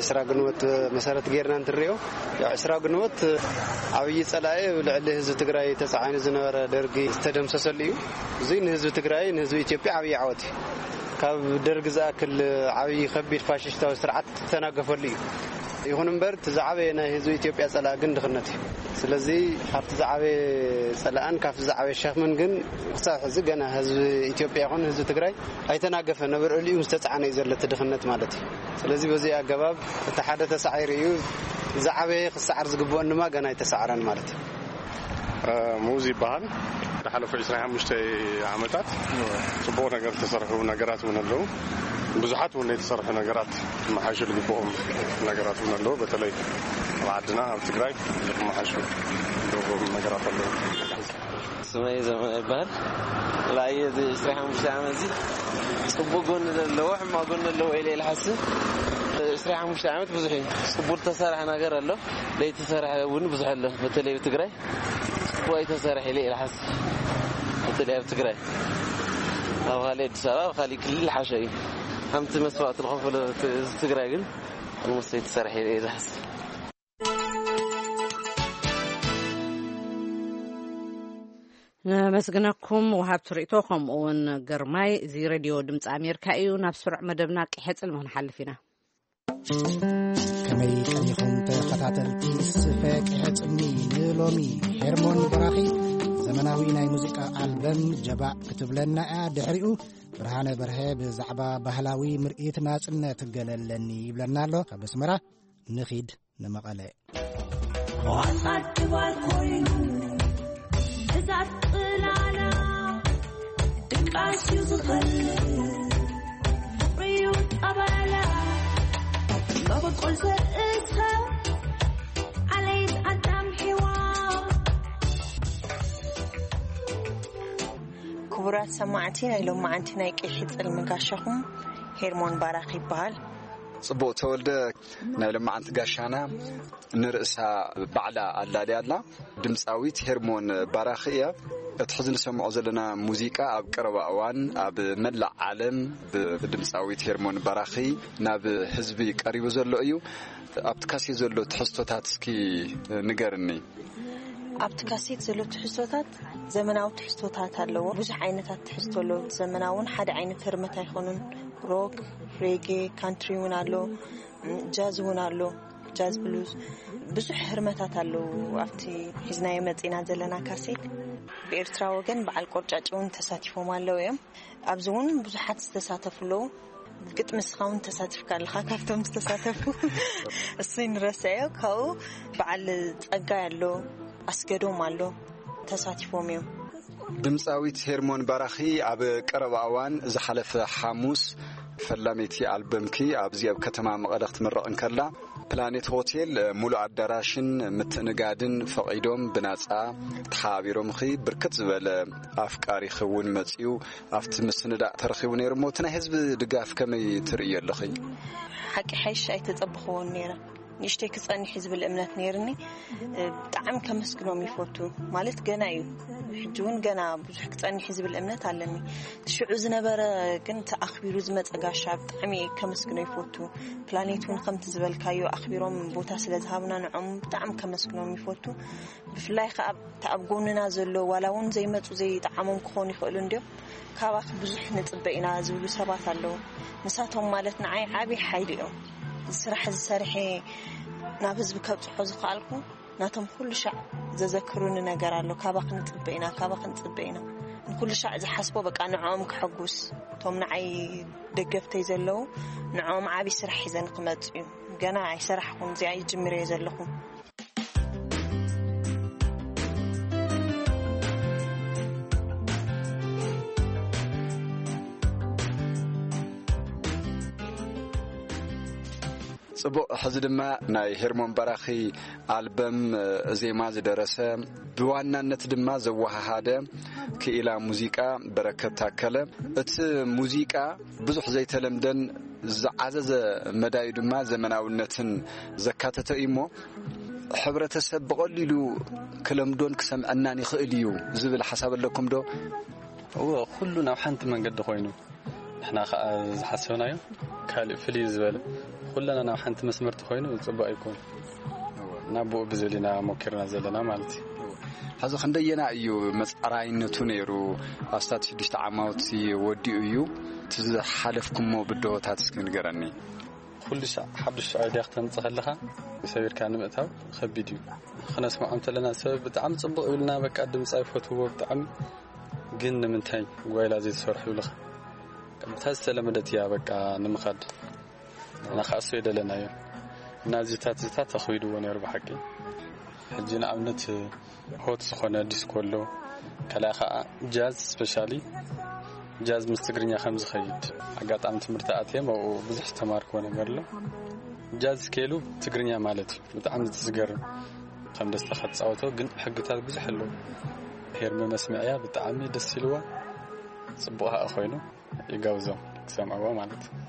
ዕስራ ግንቦት መሰረት ጌርና እንትንሪኦ፣ ያው ዕስራ ግንቦት ዓብዪ ጸላኢ ኣብ ልዕሊ ህዝቢ ትግራይ ተጻዒኑ ዝነበረ ደርጊ ዝተደምሰሰሉ እዩ። እዚ ንህዝቢ ትግራይ፣ ንህዝቢ ኢትዮጵያ ዓብዪ ዓወት እዩ። ካብ ደርጊ ዝኣክል ዓብዪ ከቢድ ፋሽስታዊ ስርዓት ዝተናገፈሉ እዩ። ይኹን እምበር፣ እቲ ዝዓበየ ናይ ህዝቢ ኢትዮጵያ ጸላኢ ግን ድኽነት እዩ። ስለዚ፣ ካብቲ ዝዓበየ ጸላእን ካብቲ ዝዓበየ ሸኽምን ግን ክሳብ ሕዚ ገና ህዝቢ ኢትዮጵያ ይኹን ህዝቢ ትግራይ ኣይተናገፈን። ኣብ ልዕሊኡ ምስ ተጻዕነ እዩ ዘሎ እቲ ድኽነት ማለት እዩ። ስለዚ፣ በዚ ኣገባብ እቲ ሓደ ተሳዒሩ እዩ። ዝዓበየ ክሰዓር ዝግብኦን ድማ ገና ኣይተሳዕረን ማለት እዩ። ሙዝ ይበሃል። ዝሓለፉ ዕስራን ሓሙሽተን ዓመታት ጽቡቕ ነገር ዝተሰርሑ ነገራት እውን ኣለዉ። ብዙሓት እውን ዘይተሰርሑ ነገራት ክመሓሹ ዝግብኦም ነገራት እውን ኣለዉ። በተለይ ኣብ ዓድና፣ ኣብ ትግራይ ክመሓሹ ዝግብኦም ነገራት ኣለዉ። ስመይ ዘመነ ይበሃል። ላየ እዚ ዕስራን ሓሙሽተን ዓመት እዚ ጽቡቕ ጎኒ ዘለዎ፣ ሕማቕ ጎኒ ኣለዎ ኢለ እየ ዝሓስብ። ዕስራን ሓሙሽተን ዓመት ብዙሕ እዩ። ጽቡቕ ዝተሰርሐ ነገር ኣሎ፣ ዘይተሰርሐ እውን ብዙሕ ኣሎ። በተለይ ኣብ ትግራይ ጽቡቕ ኣይተሰርሐ ኢለ እየ ዝሓስብ። በተለይ ኣብ ትግራይ፣ ኣብ ካሊእ ኣዲስ ኣበባ፣ ኣብ ካሊእ ክልል ሓሸ እዩ። ከምቲ መስዋእቲ ዝኸፈለ ህዝቢ ትግራይ ግን፣ ሞስ ኣይተሰርሐ ኢለ እየ ዝሓስብ። ነመስግነኩም ወሃብቲ ርእቶ፣ ከምኡ እውን ግርማይ። እዚ ሬድዮ ድምፂ ኣሜሪካ እዩ። ናብ ስሩዕ መደብና ቅሐ ጽልሚ ክንሓልፍ ኢና። ከመይ ቀኒኹም ተኸታተልቲ ስፈ ቅሐ ጽልሚ? ንሎሚ ሄርሞን በራኺ ዘመናዊ ናይ ሙዚቃ ኣልበም ጀባእ ክትብለና እያ። ድሕሪኡ ብርሃነ በርሀ ብዛዕባ ባህላዊ ምርኢት ናጽነት ገለለኒ ይብለና ኣሎ። ካብ ኣስመራ ንኺድ ንመቐለ። ቆጻል ክባል ኮይኑ፣ ብዛት ጽላላ፣ ድቃስ እዩ ዝኸል፣ ፍቕሪ እዩ ጠበላ፣ መበቆል ዘርእስኻ፣ ዓለይት ኣዳም ሔዋ። ክቡራት ሰማዕቲ፣ ናይ ሎማዓንቲ ናይ ቅሒ ጽልሚ ጋሻኹም ሄርሞን ባራኽ ይበሃል። ጽቡቕ ተወልደ፣ ናይ ሎማዓንቲ ጋሻና ንርእሳ ባዕላ ኣላልያ ኣላ። ድምጻዊት ሄርሞን ባራኺ እያ። እቲ ሕዚ ንሰምዖ ዘለና ሙዚቃ ኣብ ቀረባ እዋን ኣብ መላእ ዓለም ብ-፣ ብድምጻዊት ሄርሞን ባራኺ ናብ ህዝቢ ቀሪቡ ዘሎ እዩ። ኣብቲ ካሴት ዘሎ ትሕዝቶታት እስኪ ንገርኒ። ኣብቲ ካሴት ዘሎ ትሕዝቶታት ዘመናዊ ትሕዝቶታት ኣለዎ። ብዙሕ ዓይነታት ትሕዝቶ ኣለዎ። ዘመናውን ሓደ ዓይነት ህርመት ኣይኮኑን። ሮክ፣ ሬጌ፣ ካንትሪ እውን ኣሎ፣ ጃዝ እውን ኣሎ። ጃዝ ብሉዝ፣ ብዙሕ ህርመታት ኣለዉ። ኣብቲ ሒዝናዮ መጺና ዘለና ካሴት፣ ብኤርትራ ወገን በዓል ቆርጫጭ እውን ተሳቲፎም ኣለዉ እዮም። ኣብዚ እውን ብዙሓት ዝተሳተፉ ኣለዉ። ግጥሚ ንስኻ እውን ተሳቲፍካ ኣለኻ ካብቶም ዝተሳተፉ። እሱ ንረስዐዮ። ካብኡ በዓል ጸጋይ ኣሎ፣ ኣስገዶም ኣሎ፣ ተሳቲፎም እዮም። ድምፃዊት ሄርሞን ባራኺ ኣብ ቀረባ እዋን ዝሓለፈ ሓሙስ ፈላመይቲ ኣልበምኪ ኣብዚ ኣብ ከተማ መቐለ ክትምረቕ እንከላ፣ ፕላኔት ሆቴል ሙሉእ ኣዳራሽን ምትእንጋድን ፈቒዶም ብናፃ ተሓባቢሮምኺ፣ ብርክት ዝበለ ኣፍቃሪኺ እውን መፂኡ ኣብቲ ምስንዳእ ተረኺቡ ነይሩ። እሞ እቲ ናይ ህዝቢ ድጋፍ ከመይ ትርእዮ ኣለኺ? ሓቂ ሓይሽ ኣይተጸበኽዎን ነይረ። ንእሽተይ ክጸንሕ እዩ ዝብል እምነት ነይርኒ። እ፣ ብጣዕሚ ከመስግኖም ይፈቱ። ማለት ገና እዩ። ሕጂ እውን ገና ብዙሕ ክጸንሕ እዩ ዝብል እምነት ኣለኒ። እቲ ሽዑ ዝነበረ ግን እቲ ኣኽቢሩ ዝመጸ ጋሻ ብጣዕሚ እየ ከመስግኖ ይፈቱ። ፕላኔት እውን ከምቲ ዝበልካዮ ኣኽቢሮም ቦታ ስለ ዝሃቡና ንዖም ብጣዕሚ ከመስግኖም ይፈቱ። ብፍላይ ከኣ እቲ ኣብ ጎንና ዘሎ ዋላ እውን ዘይመጹ ዘይጠዓሞም ክኾኑ ይኽእሉ እንድዮም። ካባኺ ብዙሕ ንጽበ ኢና ዝብሉ ሰባት ኣለዉ። ንሳቶም ማለት ንዓይ ዓቢ ሓይሊ እዮም። እዚ ስራሕ እዚ ሰሪሐ ናብ ህዝቢ ከብጽሖ ዝኸኣልኩ ናቶም ኩሉ ሻዕ ዘዘክሩኒ ነገር ኣሎ። ካባኺ ንጽበ ኢና፣ ካባኺ ንጽበ ኢና። ንኩሉ ሻዕ ዝሓስቦ በቃ ንዕኦም ከሐጉስ፣ እቶም ንዓይ ደገፍተይ ዘለዉ ንዕኦም ዓቢ ስራሕ ሒዘን ክመጽ እዩ። ገና ኣይሰራሕኩን፣ እዚኣ ይጅምር እየ ዘለኹ። ጽቡቕ። ሕዚ ድማ ናይ ሄርሞን በራኺ ኣልበም ዜማ ዝደረሰ፣ ብዋናነት ድማ ዘወሃሃደ ክኢላ ሙዚቃ በረከት ታከለ። እቲ ሙዚቃ ብዙሕ ዘይተለምደን ዝዓዘዘ መዳዩ ድማ ዘመናውነትን ዘካተተ እዩ። እሞ ሕብረተሰብ ብቐሊሉ ክለምዶን ክሰምዐናን ይኽእል እዩ ዝብል ሓሳብ ኣለኩም ዶ? እወ፣ ኩሉ ናብ ሓንቲ መንገዲ ኮይኑ፣ ንሕና ኸዓ ዝሓሰብናዮ ካልእ ፍልይ ዝበለ፣ ኩለና ናብ ሓንቲ መስመርቲ ኮይኑ ጽቡቕ ኣይኮን። ናብኡ ብዝብል ኢና ሞኪርና ዘለና ማለት እዩ። ሕዚ ክንደየና እዩ መጻራይነቱ ነይሩ? ኣስታት ሽዱሽተ ዓማውቲ ወዲኡ እዩ። እቲ ዝሓለፍኩሞ ብድሆታት እስኪ ንገረኒ። ኩሉ ሻዕ ሓዱሽ ኣይድያ ክተምጽእ ከለኻ ሰቢርካ ንምእታው ከቢድ እዩ። ክነስምዖም ተለና ሰብ ብጣዕሚ ጽቡቕ ይብልና፣ በቃ ድምጻ ይፈትውዎ ብጣዕሚ። ግን ንምንታይ ጓይላ ዘይትሰርሑ ይብልኻ። ብታ ዝተለመደት እያ በቃ ንምኻድ። ንኻእሶ ይደለናዮ። እና እዚታት እዚታት ተኽቢድዎ ነይሩ ብሓቂ። ሕጂ ንኣብነት ሆት ዝኾነ ዲስኮ ኣሎ። ካልኣ ኸዓ ጃዝ፣ ስፔሻሊ ጃዝ ምስ ትግርኛ ከም ዝኸይድ ኣጋጣሚ ትምህርቲ ኣትየ፣ ኣብኡ ብዙሕ ዝተማርክዎ ነገር ኣሎ። ጃዝ ስኬሉ ትግርኛ ማለት እዩ። ብጣዕሚ ዝገርም ከም ደስታ ክትጻወቶ፣ ግን ሕግታት ብዙሕ ኣለዎ። ሄርመ መስምዕያ ብጣዕሚ ደስ ኢልዋ፣ ጽቡቕ ኸኣ ኮይኑ ይጋብዞም ክሰምዕዎ ማለት እዩ።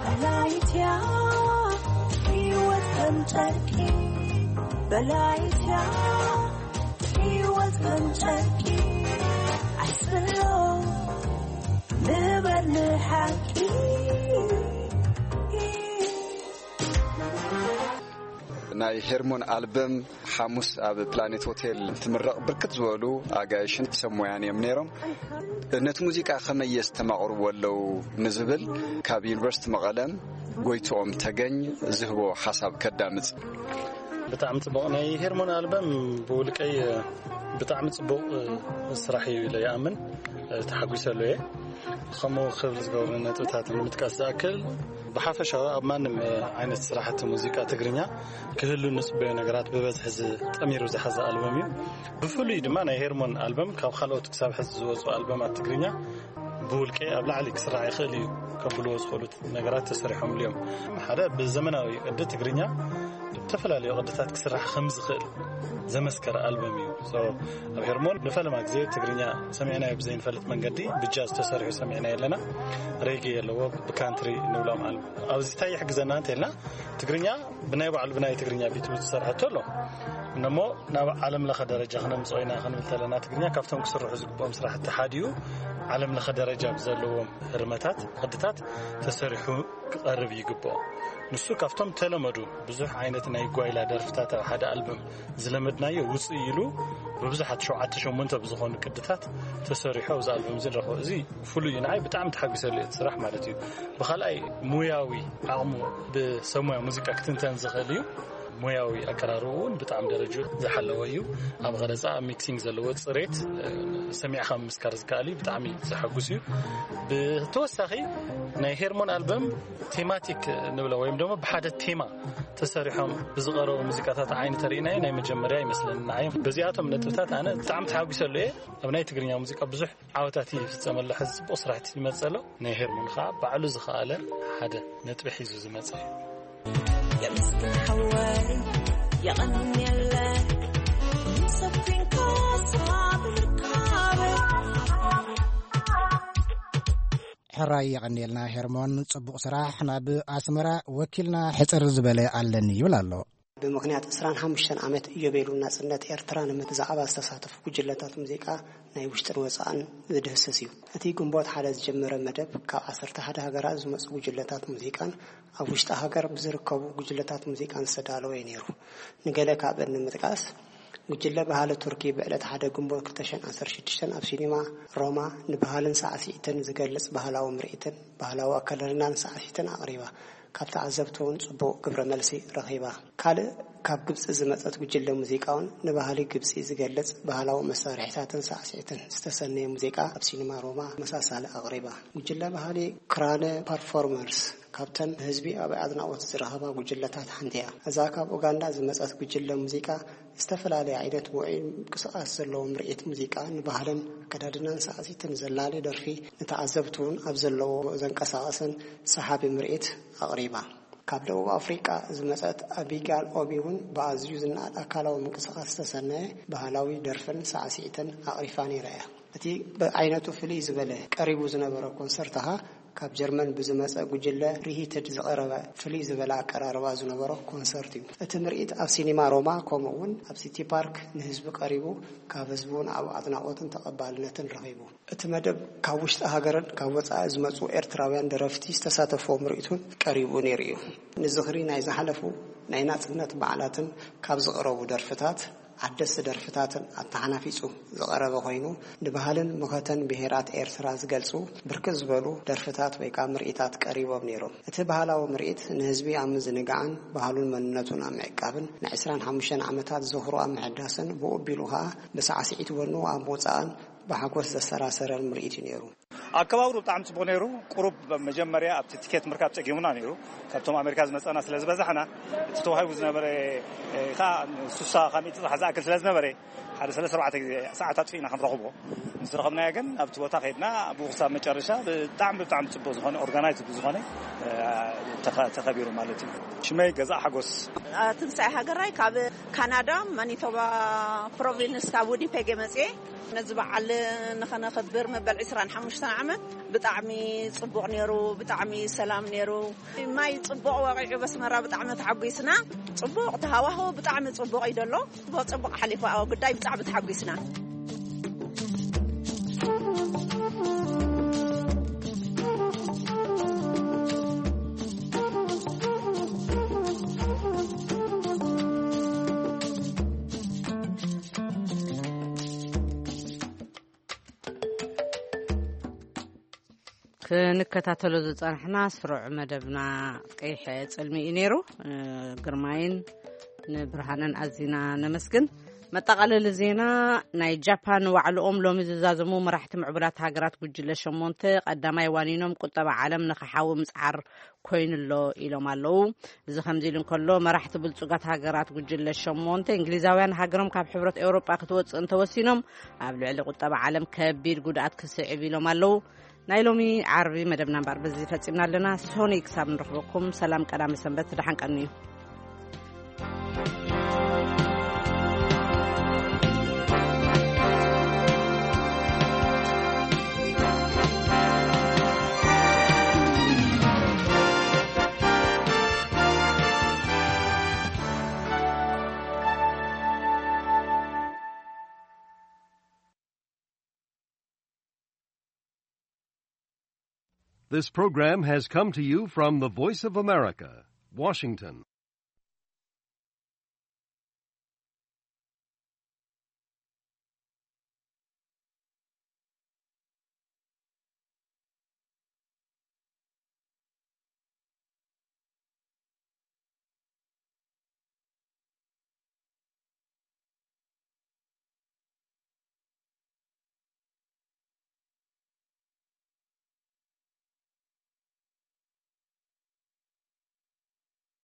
በላይትያ ህይወት ከም ጨርቂ፣ በላይትያ ህይወት ከም ጨርቂ፣ ኣይስሎ ንበር ንሓቂ። ናይ ሄርሞን ኣልበም ሓሙስ ኣብ ፕላኔት ሆቴል ትምረቕ፣ ብርክት ዝበሉ ኣጋይሽን ሰብ ሞያን እዮም ነይሮም። ነቲ ሙዚቃ ከመይ የስተማቕርዎ ኣለዉ ንዝብል፣ ካብ ዩኒቨርሲቲ መቐለም ጎይትኦም ተገኝ ዝህቦ ሓሳብ ከዳምጽ። ብጣዕሚ ጽቡቕ። ናይ ሄርሞን ኣልበም ብውልቀይ ብጣዕሚ ጽቡቕ ስራሕ እዩ ኢለ ይኣምን። ተሓጒሰሉ እየ። ከምኡ ክብል ዝገብሩ ነጥብታት ንምጥቃስ ዝኣክል፣ ብሓፈሻዊ ኣብ ማንም ዓይነት ስራሕቲ ሙዚቃ ትግርኛ ክህሉ ንጽበዮ ነገራት ብበዝሒ ዝጠሚሩ ዝሓዘ ኣልበም እዩ። ብፍሉይ ድማ ናይ ሄርሞን ኣልበም ካብ ካልኦት ክሳብ ሕዚ ዝወጹ ኣልበማት ትግርኛ ብውልቀ ኣብ ላዕሊ ክስራሕ ይኽእል እዩ ከብልዎ ዝኽእሉ ነገራት ተሰሪሖምሉ እዮም። ሓደ ብዘመናዊ ቅዲ ትግርኛ ብተፈላለዩ ቅድታት ክስራሕ ከም ዝኽእል ዘመስከረ ኣልበም እዩ። So፣ ኣብ ሄርሞን ንፈለማ ግዜ ትግርኛ ሰሚዕናዮ ብዘይንፈልጥ መንገዲ ብጃዝ ተሰሪሑ ሰሚዕናዮ ኣለና። ሬጌ ኣለዎ፣ ብካንትሪ ንብሎም ኣልበም። ኣብዚ እንታይ ይሕግዘና እንተኢልና፣ ትግርኛ ብናይ ባዕሉ ብናይ ትግርኛ ቢት ዝተሰርሐቶ ኣሎ። እሞ ናብ ዓለም ለኸ ደረጃ ክነምጽኦ ኢና ክንብል ተለና፣ ትግርኛ ካብቶም ክስርሑ ዝግብኦም ስራሕቲ ሓደ እዩ። ዓለም ለኸ ደረጃ ብዘለዎም ህርመታት፣ ቅድታት ተሰሪሑ ክቐርብ ይግብኦ። ንሱ ካብቶም ተለመዱ ብዙሕ ዓይነት ናይ ጓይላ ደርፍታት ኣብ ሓደ ኣልበም ዝለመድናዮ ውፅእ ኢሉ ብብዙሓት ሸውዓተ ሸሞንተ ብዝኾኑ ቅድታት ተሰሪሑ ኣብዚ ኣልበም እዚ ንረኽቦ። እዚ ፍሉይ እዩ። ንዓይ ብጣዕሚ ተሓጒሰሉ እየ እቲ ስራሕ ማለት እዩ። ብኻልኣይ ሙያዊ ዓቕሙ ብሰብ ሙያ ሙዚቃ ክትንተን ዝኽእል እዩ። ሙያዊ ኣቀራርቡ እውን ብጣዕሚ ደረጃ ዝሓለወ እዩ። ኣብ ቐረፃ፣ ኣብ ሚክሲንግ ዘለዎ ፅሬት፣ እ፣ ሰሚዕኻ ምምስካር ዝከኣል እዩ። ብጣዕሚ ዘሐጉስ እዩ። ብተወሳኺ ናይ ሄርሞን ኣልበም ቴማቲክ ንብሎ ወይም ደግሞ ብሓደ ቴማ ተሰሪሖም ብዝቐረቡ ሙዚቃታት ዓይኒ ተሪእናዮ ናይ መጀመርያ ይመስለኒ ንዓይ። በዚኣቶም ነጥብታት ኣነ ብጣዕሚ ተሓጒሰሉ እየ። ኣብ ናይ ትግርኛ ሙዚቃ ብዙሕ ዓወታት ይፍጸመሉ፣ ሕዚ ጽቡቕ ስራሕቲ ይመጸሎ። ናይ ሄርሞን ኸዓ ባዕሉ ዝኸኣለ ሓደ ነጥቢ ሒዙ ዝመጸ እዩ። የምስኪን ሓወይ የቐንየለ ሰፊንካ ሳብርካበ ሕራይ የቐንየልና ሄርሞን፣ ጽቡቕ ስራሕ። ናብ ኣስመራ ወኪልና ሕጽር ዝበለ ኣለኒ ይብል ኣሎ። ብምኽንያት ዕስራን ሓሙሽተን ዓመት ኢዮቤሉ ናጽነት ኤርትራ ንምት ብዛዕባ ዝተሳተፉ ጉጅለታት ሙዚቃ ናይ ውሽጥን ወጻእን ዝድህስስ እዩ። እቲ ግንቦት ሓደ ዝጀመረ መደብ ካብ ዓሰርተ ሓደ ሃገራት ዝመጹ ጉጅለታት ሙዚቃን ኣብ ውሽጢ ሃገር ብዝርከቡ ጉጅለታት ሙዚቃን ዝተዳለወ እዩ ነይሩ። ንገለ ካብአን ንምጥቃስ፣ ጉጅለ ባህሊ ቱርኪ ብዕለት ሓደ ግንቦት ክልተ ሽሕን ዓሰርተ ሽዱሽተን ኣብ ሲኒማ ሮማ ንባህልን ሳዕስዒትን ዝገልጽ ባህላዊ ምርኢትን ባህላዊ ኣከዳድናን ሳዕስዒትን ኣቕሪባ። ካብ ተዓዘብቲ እውን ጽቡቕ ግብረ መልሲ ረኺባ። ካልእ ካብ ግብጺ ዝመጸት ጉጅለ ሙዚቃ እውን ንባህሊ ግብጺ ዝገልጽ ባህላዊ መሳርሒታትን ሳዕስዒትን ዝተሰነየ ሙዚቃ ኣብ ሲኒማ ሮማ ተመሳሳሊ ኣቕሪባ። ጉጅለ ባህሊ ክራነ ፐርፎርመርስ ካብተን ህዝቢ ኣብ ኣድናቖት ዝረኸባ ጉጅለታት ሓንቲ እያ። እዛ ካብ ኡጋንዳ ዝመጸት ጉጅለ ሙዚቃ ዝተፈላለየ ዓይነት ውዑይ ምንቅስቓስ ዘለዎ ምርኢት ሙዚቃ ንባህልን ኣከዳድናን ሳዕሲትን ዘላሊ ደርፊ ንተዓዘብቲ እውን ኣብ ዘለዎ ዘንቀሳቐስን ሰሓቢ ምርኢት ኣቕሪባ። ካብ ደቡብ ኣፍሪቃ ዝመጸት ኣቢጋል ኦቢ እውን ብኣዝዩ ዝነኣድ ኣካላዊ ምንቅስቓስ ዝተሰነየ ባህላዊ ደርፍን ሳዕሲዕትን ኣቕሪፋ ነይራ እያ። እቲ ብዓይነቱ ፍልይ ዝበለ ቀሪቡ ዝነበረ ኮንሰርት ኸኣ ካብ ጀርመን ብዝመጸ ጉጅለ ሪሂትድ ዝቐረበ ፍልይ ዝበለ ኣቀራርባ ዝነበሮ ኮንሰርት እዩ። እቲ ምርኢት ኣብ ሲኒማ ሮማ ከምኡ እውን ኣብ ሲቲ ፓርክ ንህዝቢ ቀሪቡ ካብ ህዝቢ እውን ኣብ ኣድናቖትን ተቐባልነትን ረኺቡ። እቲ መደብ ካብ ውሽጢ ሃገርን ካብ ወጻኢ ዝመጹ ኤርትራውያን ደረፍቲ ዝተሳተፍዎ ምርኢት እውን ቀሪቡ ነይሩ እዩ። ንዝኽሪ ናይ ዝሓለፉ ናይ ናጽነት በዓላትን ካብ ዝቐረቡ ደርፍታት ሓደስቲ ደርፍታትን ኣተሓናፊጹ ዝቐረበ ኮይኑ፣ ንባህልን መኸተን ብሄራት ኤርትራ ዝገልጹ ብርክት ዝበሉ ደርፍታት ወይ ከኣ ምርኢታት ቀሪቦም ነይሮም። እቲ ባህላዊ ምርኢት ንህዝቢ ኣብ ምዝንጋዕን ባህሉን መንነቱን ኣብ ምዕቃብን ንዕስራን ሓሙሽተን ዓመታት ዝኽሩ ኣብ ምሕዳስን ብኡ ኣቢሉ ከኣ ብሳዕስዒት ወኑ ኣብ ምውጻእን ብሓጎስ ዘሰራሰረን ምርኢት እዩ ነይሩ። ኣከባብሩ ብጣዕሚ ጽቡቕ ነይሩ። ቁሩብ መጀመርያ ኣብቲ ቲኬት ምርካብ ጸጊሙና ነይሩ። ካብቶም ኣሜሪካ ዝመጸና ስለ ዝበዛሕና፣ እቲ ተዋሂቡ ዝነበረ፣ እ፣ ከኣ ሱሳ ካብ ሚእቲ ዝኣክል ስለ ዝነበረ፣ ሓደ ሰለስተ ኣርባዕተ ግዜ ሰዓት ኣጥፊእና ክንረኽቦ። ምስ ረኸብናዮ ግን ኣብቲ ቦታ ከይድና ብኡ ክሳብ መጨረሻ ብጣዕሚ፣ ብጣዕሚ ጽቡቕ ዝኾነ፣ ኦርጋናይዝድ ዝኾነ፣ እ፣ ተኸ-፣ ተኸቢሩ ማለት እዩ። ሽመይ ገዛእ ሓጎስ። ትንሳኤ ሃገራይ ካብ ካናዳ ማኒቶባ ፕሮቪንስ ካብ ዊኒፔግ እየ መጽየ። ነዚ በዓል ንኸነኽብር መበል ዕስራን ሓሙሽተን ዓመት ብጣዕሚ ጽቡቕ ነይሩ፣ ብጣዕሚ ሰላም ነይሩ። ማይ ጽቡቕ ወቒዑ በስመራ ብጣዕሚ ተሓጒስና። ጽቡቕ ተሃዋህቦ ብጣዕሚ ጽቡቕ እዩ ዘሎ። ጽቡቕ ጽቡቕ ሓሊፉ ኣብ ጉዳይ ብጣዕሚ ተሓጒስና። ክንከታተሎ ዝጸናሕና ስሩዕ መደብና ቀይሕ ጽልሚ እዩ ነይሩ። እ፣ ግርማይን ንብርሃንን ኣዚና ነመስግን። መጠቓለሊ ዜና፣ ናይ ጃፓን ዋዕልኦም ሎሚ ዝዛዘሙ መራሕቲ ምዕቡላት ሃገራት ጉጅለ ሸሞንተ ቀዳማይ ዋኒኖም ቁጠባ ዓለም ንኸሓዊ ምጽዓር ኮይኑሎ ኢሎም ኣለዉ። እዚ ከምዚ ኢሉ እንከሎ፣ መራሕቲ ብልጹጋት ሃገራት ጉጅለ ሸሞንተ እንግሊዛውያን ሃገሮም ካብ ሕብረት ኤውሮጳ ክትወጽእ እንተወሲኖም ኣብ ልዕሊ ቁጠባ ዓለም ከቢድ ጉድኣት ክስዕብ ኢሎም ኣለዉ። ናይ ሎሚ ዓርቢ መደብና እምበኣር በዚ ፈጺምና ኣለና። ሶኒ ክሳብ ንረኽበኩም ሰላም ቀዳመ ሰንበት፣ ደሓን ቀንዩ። This program has come to you from the Voice of America, Washington.